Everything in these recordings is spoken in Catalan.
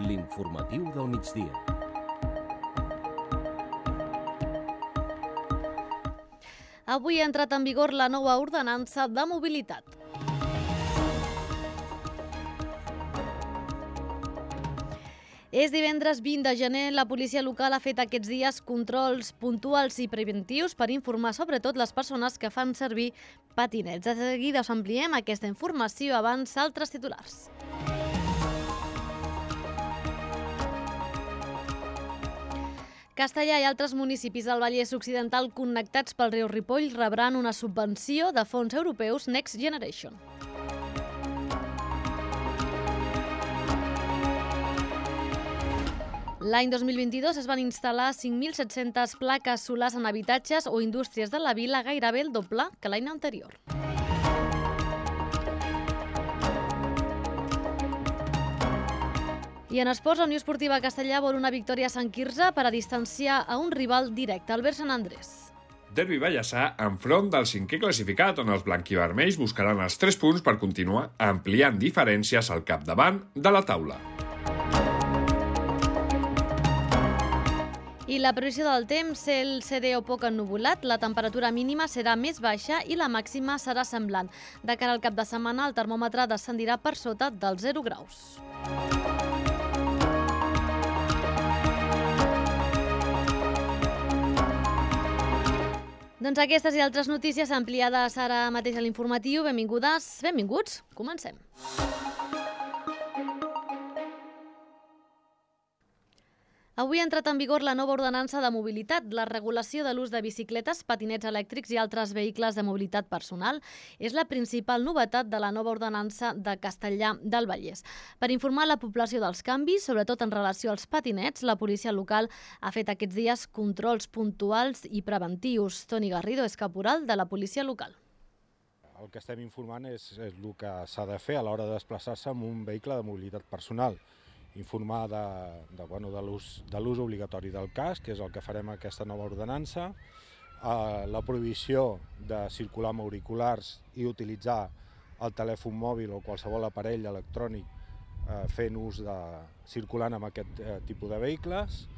L'informatiu del migdia. Avui ha entrat en vigor la nova ordenança de mobilitat. És divendres 20 de gener. La policia local ha fet aquests dies controls puntuals i preventius per informar sobretot les persones que fan servir patinets. De seguida us ampliem aquesta informació abans altres titulars. Castellà i altres municipis del Vallès Occidental connectats pel riu Ripoll rebran una subvenció de fons europeus Next Generation. L'any 2022 es van instal·lar 5.700 plaques solars en habitatges o indústries de la vila, gairebé el doble que l'any anterior. I en esports, la Unió Esportiva Castellà vol una victòria a Sant Quirze per a distanciar a un rival directe, Albert Sant Andrés. Derbi Ballassà enfront del 5è classificat, on els blanquivermells buscaran els 3 punts per continuar ampliant diferències al capdavant de la taula. I la previsió del temps, cel serè o poc ennuvolat, la temperatura mínima serà més baixa i la màxima serà semblant. De cara al cap de setmana, el termòmetre descendirà per sota dels 0 graus. Doncs aquestes i altres notícies ampliades ara mateix a l'informatiu. Benvingudes, benvinguts, comencem. Avui ha entrat en vigor la nova ordenança de mobilitat. La regulació de l'ús de bicicletes, patinets elèctrics i altres vehicles de mobilitat personal és la principal novetat de la nova ordenança de Castellà del Vallès. Per informar la població dels canvis, sobretot en relació als patinets, la policia local ha fet aquests dies controls puntuals i preventius. Toni Garrido és caporal de la policia local. El que estem informant és el que s'ha de fer a l'hora de desplaçar-se amb un vehicle de mobilitat personal. Informar de l'ús obligatori del casc, que és el que farem amb aquesta nova ordenança, la prohibició de circular amb auriculars i utilitzar el telèfon mòbil o qualsevol aparell electrònic fent ús circulant amb aquest tipus de vehicles,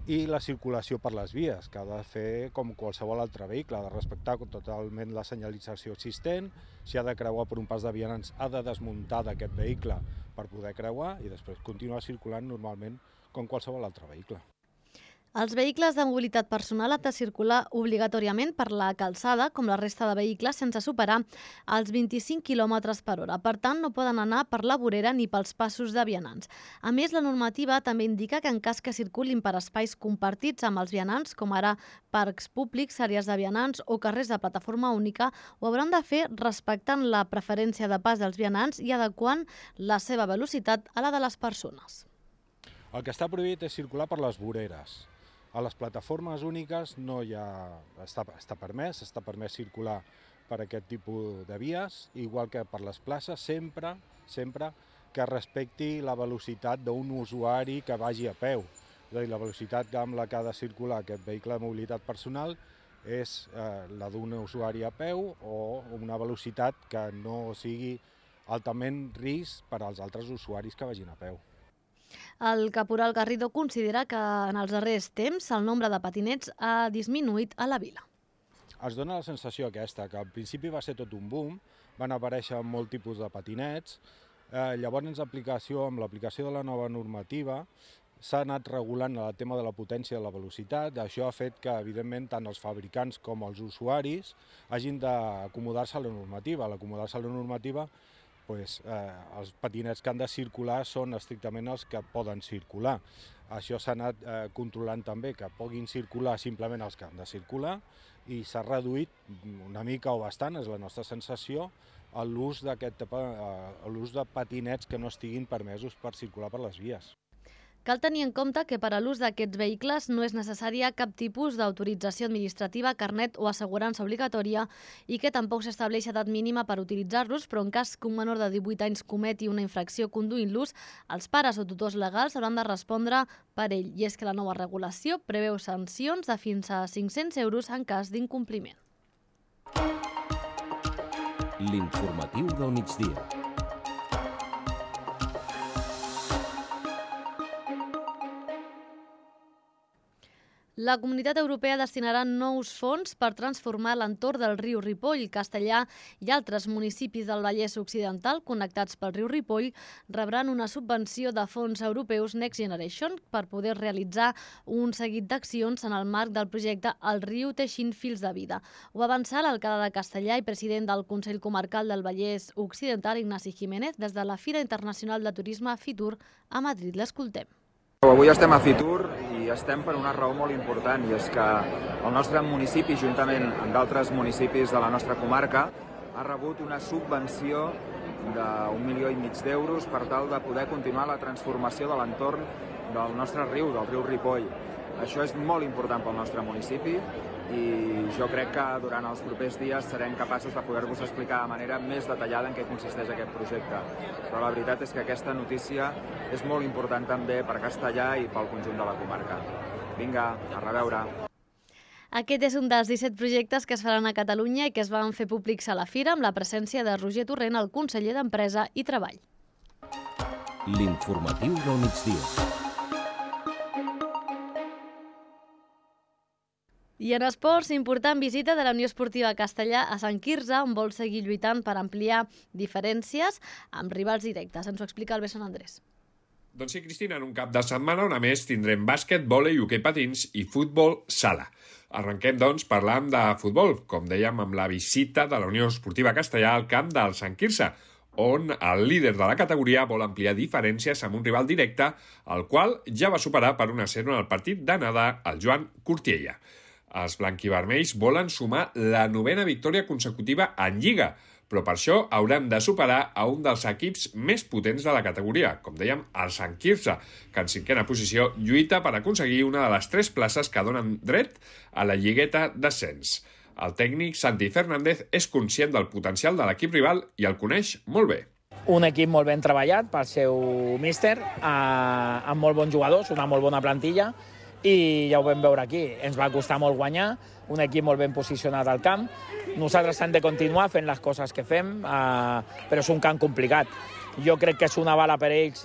i la circulació per les vies, que ha de fer com qualsevol altre vehicle, ha de respectar totalment la senyalització existent. Si ha de creuar per un pas de vianants, ha de desmuntar d'aquest vehicle per poder creuar i després continuar circulant normalment com qualsevol altre vehicle. Els vehicles de mobilitat personal han de circular obligatòriament per la calçada, com la resta de vehicles, sense superar els 25 km per hora. Per tant, no poden anar per la vorera ni pels passos de vianants. A més, la normativa també indica que en cas que circulin per espais compartits amb els vianants, com ara parcs públics, àrees de vianants o carrers de plataforma única, ho hauran de fer respectant la preferència de pas dels vianants i adequant la seva velocitat a la de les persones. El que està prohibit és circular per les voreres. A les plataformes úniques no està permès circular per aquest tipus de vies, igual que per les places, sempre que respecti la velocitat d'un usuari que vagi a peu. És a dir, la velocitat amb la que ha de circular aquest vehicle de mobilitat personal és la d'un usuari a peu o una velocitat que no sigui altament risc per als altres usuaris que vagin a peu. El caporal Garrido considera que en els darrers temps el nombre de patinets ha disminuït a la vila. Es dona la sensació aquesta, que al principi va ser tot un boom, van aparèixer molt tipus de patinets, llavors amb l'aplicació de la nova normativa s'ha anat regulant el tema de la potència i de la velocitat. Això ha fet que, evidentment, tant els fabricants com els usuaris hagin d'acomodar-se a la normativa. A l'acomodar-se a la normativa, els patinets que han de circular són estrictament els que poden circular. Això s'ha anat controlant també, que puguin circular simplement els que han de circular, i s'ha reduït una mica o bastant, és la nostra sensació, l'ús de patinets que no estiguin permesos per circular per les vies. Cal tenir en compte que per a l'ús d'aquests vehicles no és necessària cap tipus d'autorització administrativa, carnet o assegurança obligatòria i que tampoc s'estableix edat mínima per utilitzar-los, però en cas que un menor de 18 anys cometi una infracció conduint-los, els pares o tutors legals hauran de respondre per ell. I és que la nova regulació preveu sancions de fins a 500 euros en cas d'incompliment. L'informatiu del migdia. La Comunitat Europea destinarà nous fons per transformar l'entorn del riu Ripoll. Castellà i altres municipis del Vallès Occidental connectats pel riu Ripoll rebran una subvenció de fons europeus Next Generation per poder realitzar un seguit d'accions en el marc del projecte El riu teixint fils de vida. Ho va avançar l'alcalde de Castellà i president del Consell Comarcal del Vallès Occidental, Ignasi Jiménez, des de la Fira Internacional de Turisme Fitur a Madrid. L'escoltem. Avui estem a Fitur i estem per una raó molt important, i és que el nostre municipi, juntament amb d'altres municipis de la nostra comarca, ha rebut una subvenció d'1,5 milions d'euros per tal de poder continuar la transformació de l'entorn del nostre riu, del riu Ripoll. Això és molt important pel nostre municipi i jo crec que durant els propers dies serem capaços de poder-vos explicar de manera més detallada en què consisteix aquest projecte. Però la veritat és que aquesta notícia és molt important també per Castellà i pel conjunt de la comarca. Vinga, a reveure. Aquest és un dels 17 projectes que es faran a Catalunya i que es van fer públics a la Fira amb la presència de Roger Torrent, el conseller d'Empresa i Treball. L'informatiu del migdia. I en esports, important visita de la Unió Esportiva Castellà a Sant Quirze, on vol seguir lluitant per ampliar diferències amb rivals directes. Ens ho explica el Besson Andrés. Doncs sí, Cristina, en un cap de setmana on a més tindrem bàsquet, vòlei, hoquei patins i futbol sala. Arrenquem, doncs, parlant de futbol, com dèiem, amb la visita de la Unió Esportiva Castellà al camp del Sant Quirze, on el líder de la categoria vol ampliar diferències amb un rival directe, el qual ja va superar per 1-0 en el partit d'anada el Joan Cortiella. Els blanquivermells volen sumar la 9a victòria consecutiva en Lliga, però per això haurem de superar a un dels equips més potents de la categoria, com dèiem, el Sant Quirze, que en 5a posició lluita per aconseguir una de les 3 places que donen dret a la lligueta d'ascens. El tècnic Santi Fernández és conscient del potencial de l'equip rival i el coneix molt bé. Un equip molt ben treballat pel seu míster, amb molt bons jugadors, una molt bona plantilla, i ja ho vam veure aquí. Ens va costar molt guanyar, un equip molt ben posicionat al camp. Nosaltres hem de continuar fent les coses que fem, però és un camp complicat. Jo crec que és una bala per ells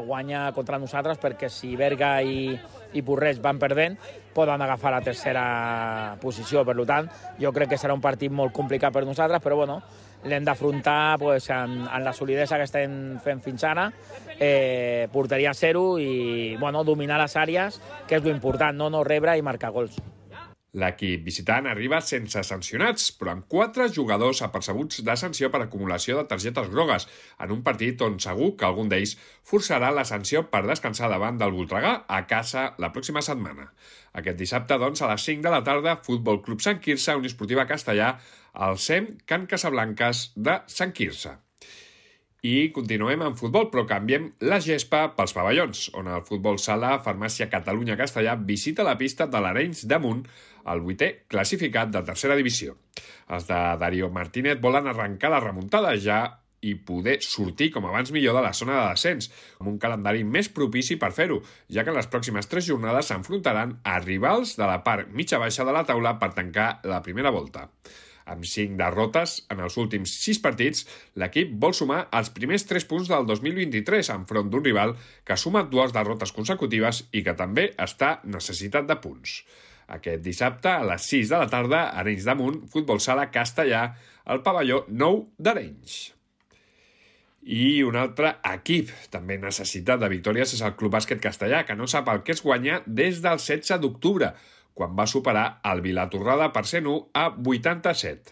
guanyar contra nosaltres, perquè si Berga i Porreig van perdent, poden agafar la 3a posició. Per tant, jo crec que serà un partit molt complicat per nosaltres, però bueno, l'hem d'afrontar amb la solidesa que estem fent fins ara, porteria 0 i dominar les àrees, que és l'important, no rebre i marcar gols. L'equip visitant arriba sense sancionats, però amb 4 jugadors apercebuts de sanció per acumulació de targetes grogues, en un partit on segur que algun d'ells forçarà la sanció per descansar davant del Voltregà a casa la pròxima setmana. Aquest dissabte, doncs, a les 5 de la tarda, Futbol Club Sant Quirze, Unió Esportiva Castellà, al SEM Can Casablanques de Sant Quirze. I continuem amb futbol, però canviem la gespa pels pavellons, on el futbol sala Farmàcia Catalunya Castellà visita la pista de l'Arenys de Munt, el 8è classificat de 3a divisió. Els de Darío Martínez volen arrencar la remuntada ja i poder sortir com abans millor de la zona de descens, amb un calendari més propici per fer-ho, ja que en les pròximes 3 jornades s'enfrontaran a rivals de la part mitja-baixa de la taula per tancar la primera volta. Amb 5 derrotes en els últims 6 partits, l'equip vol sumar els primers 3 punts del 2023 enfront d'un rival que ha sumat 2 derrotes consecutives i que també està necessitat de punts. Aquest dissabte, a les 6 de la tarda, a Arenys de Munt, Futbol Sala Castellà, al pavelló 9 d'Arenys. I un altre equip també necessitat de victòries és el Club Bàsquet Castellà, que no sap el que és guanyar des del 16 d'octubre, quan va superar el Vilatorrada per 101 a 87.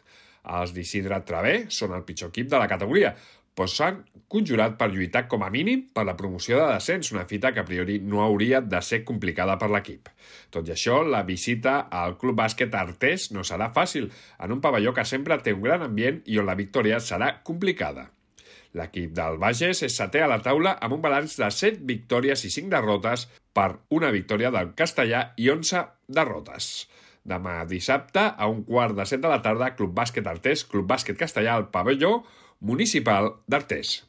Els d'Isidre Travé són el pitjor equip de la categoria, però s'han conjurat per lluitar com a mínim per la promoció de descens, una fita que a priori no hauria de ser complicada per l'equip. Tot i això, la visita al Club Bàsquet Artés no serà fàcil, en un pavelló que sempre té un gran ambient i on la victòria serà complicada. L'equip del Bages és 7è a la taula amb un balanç de 7 victòries i 5 derrotes per una victòria del Castellà i 11 derrotes. Demà dissabte, a 1:15 de la tarda, Club Bàsquet Artés, Club Bàsquet Castellà al pavelló municipal d'Artés.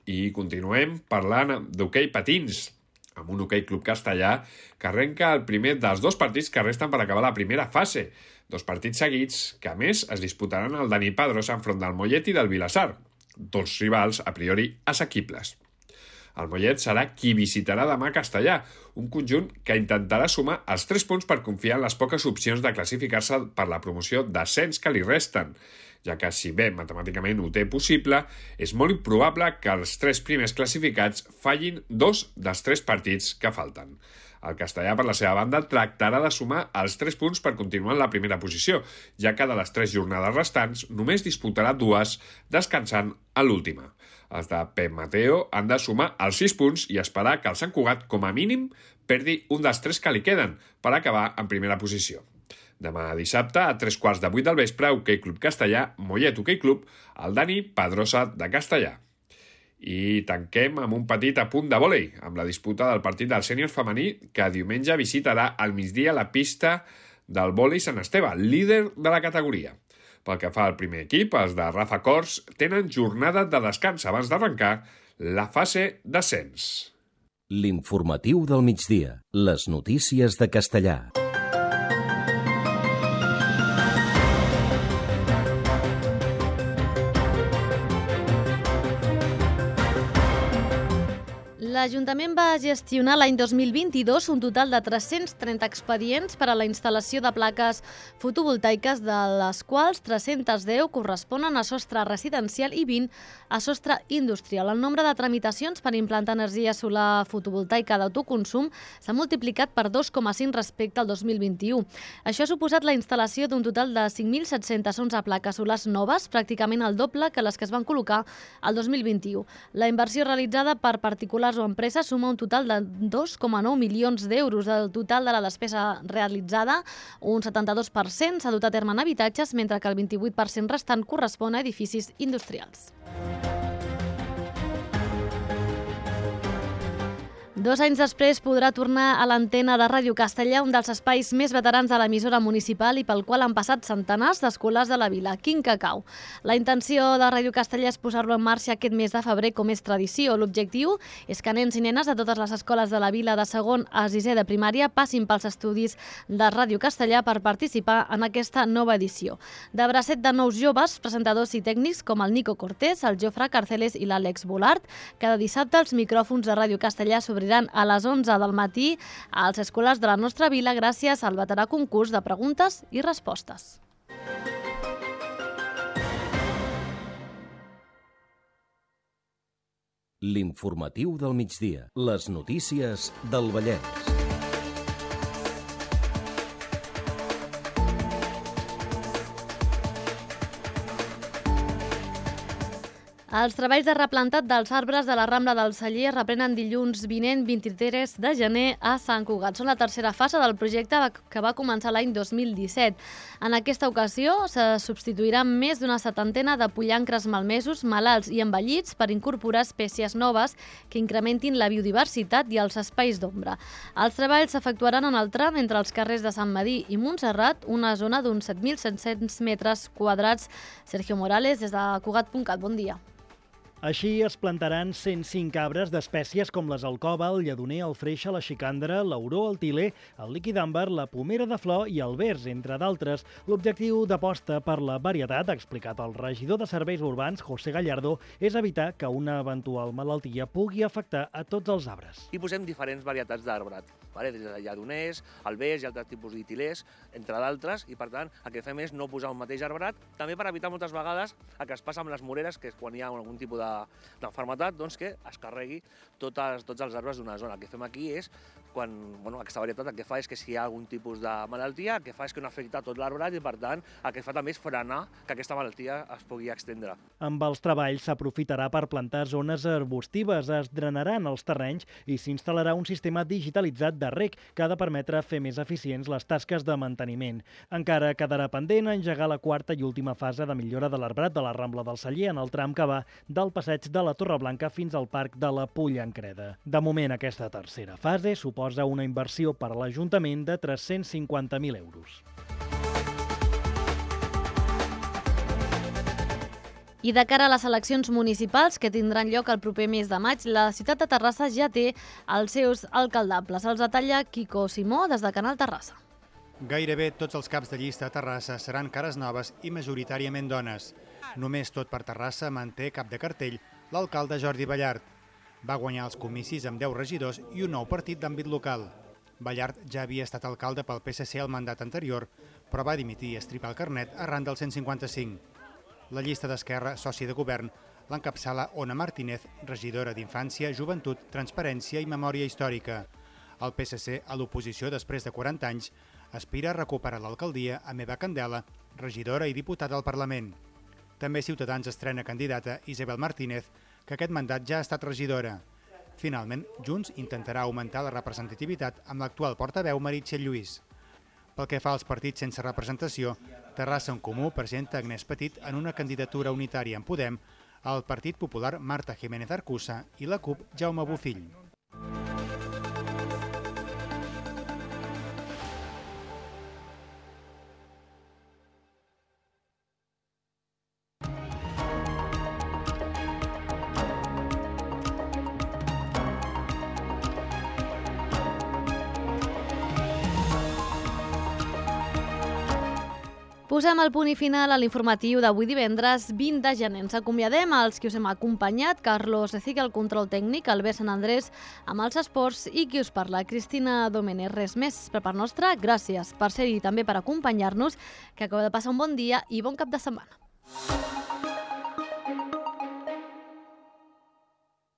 I continuem parlant d'hoquei patins, amb un hoquei Club Castellà que arrenca el primer dels 2 partits que resten per acabar la primera fase. 2 partits seguits que, a més, es disputaran al Dani Padros enfront del Mollet i del Vilassar, 2 rivals a priori assequibles. El Mollet serà qui visitarà demà Castellà, un conjunt que intentarà sumar els 3 punts per confiar en les poques opcions de classificar-se per la promoció d'ascens que li resten, ja que si bé matemàticament ho té possible, és molt improbable que els 3 primers classificats fallin 2 dels 3 partits que falten. El Castellà, per la seva banda, tractarà de sumar els 3 punts per continuar en la primera posició, ja que de les 3 jornades restants només disputarà 2, descansant a l'última. Els de Pep Mateo han de sumar els 6 punts i esperar que el Sant Cugat, com a mínim, perdi un dels 3 que li queden per acabar en primera posició. Demà dissabte, a 3:15 del vespre, Hoquei Club Castellà, Mollet Hoquei Club, el Dani Pedrosa de Castellà. I tanquem amb un petit apunt de vòlei, amb la disputa del partit del sènior femení, que diumenge visitarà al migdia la pista del vòlei Sant Esteve, líder de la categoria. Pel que fa al primer equip, els de Rafa Cors tenen jornada de descans abans d'arrencar la fase d'ascens. L'informatiu del migdia. Les notícies de Castellà. L'Ajuntament va gestionar l'any 2022 un total de 330 expedients per a la instal·lació de plaques fotovoltaiques, de les quals 310 corresponen a sostre residencial i 20 a sostre industrial. El nombre de tramitacions per implantar energia solar fotovoltaica d'autoconsum s'ha multiplicat per 2,5 respecte al 2021. Això ha suposat la instal·lació d'un total de 5.711 plaques solars noves, pràcticament el doble que les que es van col·locar al 2021. La inversió realitzada per particulars o empreses suma un total de 2,9 milions d'euros. Del total de la despesa realitzada, un 72% s'ha dut a terme en habitatges, mentre que el 28% restant correspon a edificis industrials. 2 anys després podrà tornar a l'antena de Ràdio Castellà, un dels espais més veterans de l'emissora municipal i pel qual han passat centenars d'escolars de la vila, Quin Cacau. La intenció de Ràdio Castellà és posar-lo en marxa aquest mes de febrer, com és tradició. L'objectiu és que nens i nenes de totes les escoles de la vila de segon a sisè de primària passin pels estudis de Ràdio Castellà per participar en aquesta nova edició. De bracet de nous joves, presentadors i tècnics com el Nico Cortés, el Jofre Carceles i l'Àlex Bolart, cada dissabte els micròfons de Ràdio Castellà s'obriran a les 11 del matí als escolars de la nostra vila gràcies al veterà concurs de preguntes i respostes. L'informatiu del migdia. Les notícies del Vallès. Els treballs de replantat dels arbres de la Rambla del Celler reprenen dilluns vinent 23 de gener a Sant Cugat. Són la tercera fase del projecte que va començar l'any 2017. En aquesta ocasió se substituiran més d'una 70 de pollancres malmesos, malalts i envellits per incorporar espècies noves que incrementin la biodiversitat i els espais d'ombra. Els treballs s'efectuaran en el tram entre els carrers de Sant Medir i Montserrat, una zona d'uns 7.700 metres quadrats. Sergio Morales, des de Cugat.cat. Bon dia. Així es plantaran 105 arbres d'espècies com les alcova, el lledoner, el freixe, la xicandra, l'auró, el tiler, el líquid àmbar, la pomera de flor i el vers, entre d'altres. L'objectiu d'aposta per la varietat, ha explicat el regidor de Serveis Urbans, José Gallardo, és evitar que una eventual malaltia pugui afectar a tots els arbres. I posem diferents varietats d'arbrat, des de lledoners, el vers i altres tipus d'tilers, entre d'altres, i per tant el que fem és no posar un mateix arbrat, també per evitar moltes vegades el que es passa amb les moreres, que és quan hi ha algun tipus d'enfermetat, doncs que es carregui tots els arbres d'una zona. El que fem aquí és, aquesta varietat el que fa és que si hi ha algun tipus de malaltia, el que fa és que no afecta tot l'arbrat i per tant el que fa també és frenar que aquesta malaltia es pugui extendre. Amb els treballs s'aprofitarà per plantar zones arbustives, es drenaran els terrenys i s'instal·larà un sistema digitalitzat de reg que ha de permetre fer més eficients les tasques de manteniment. Encara quedarà pendent engegar la quarta i última fase de millora de l'arbrat de la Rambla del Celler en el tram que va del passeig de la Torre Blanca fins al Parc de la Pollancreda. De moment, aquesta tercera fase suposa una inversió per a l'Ajuntament de 350.000 euros. I de cara a les eleccions municipals que tindran lloc el proper mes de maig, la ciutat de Terrassa ja té els seus alcaldables. Els detalla Quico Simó des de Canal Terrassa. Gairebé tots els caps de llista a Terrassa seran cares noves i majoritàriament dones. Només Tot per Terrassa manté cap de cartell l'alcalde Jordi Ballart. Va guanyar els comicis amb 10 regidors i un nou partit d'àmbit local. Ballart ja havia estat alcalde pel PSC al mandat anterior, però va dimitir i estripar el carnet arran del 155. La llista d'Esquerra, soci de govern, l'encapçala Ona Martínez, regidora d'Infància, Joventut, Transparència i Memòria Històrica. El PSC, a l'oposició després de 40 anys, aspira a recuperar l'alcaldia amb Eva Candela, regidora i diputada al Parlament. També Ciutadans estrena candidata Isabel Martínez, que aquest mandat ja ha estat regidora. Finalment, Junts intentarà augmentar la representativitat amb l'actual portaveu Meritxell Lluís. Pel que fa als partits sense representació, Terrassa en Comú presenta Agnès Petit en una candidatura unitària en Podem, el Partit Popular Marta Jiménez Arcusa i la CUP Jaume Bofill. Posem el punt i final a l'informatiu d'avui divendres 20 de gener. Ens acomiadem als qui us hem acompanyat, Carlos Recique, el control tècnic, Albert Sant Andrés amb els esports i qui us parla, Cristina Domènech. Res més per part nostra, gràcies per ser-hi també per acompanyar-nos, que acabeu de passar un bon dia i bon cap de setmana.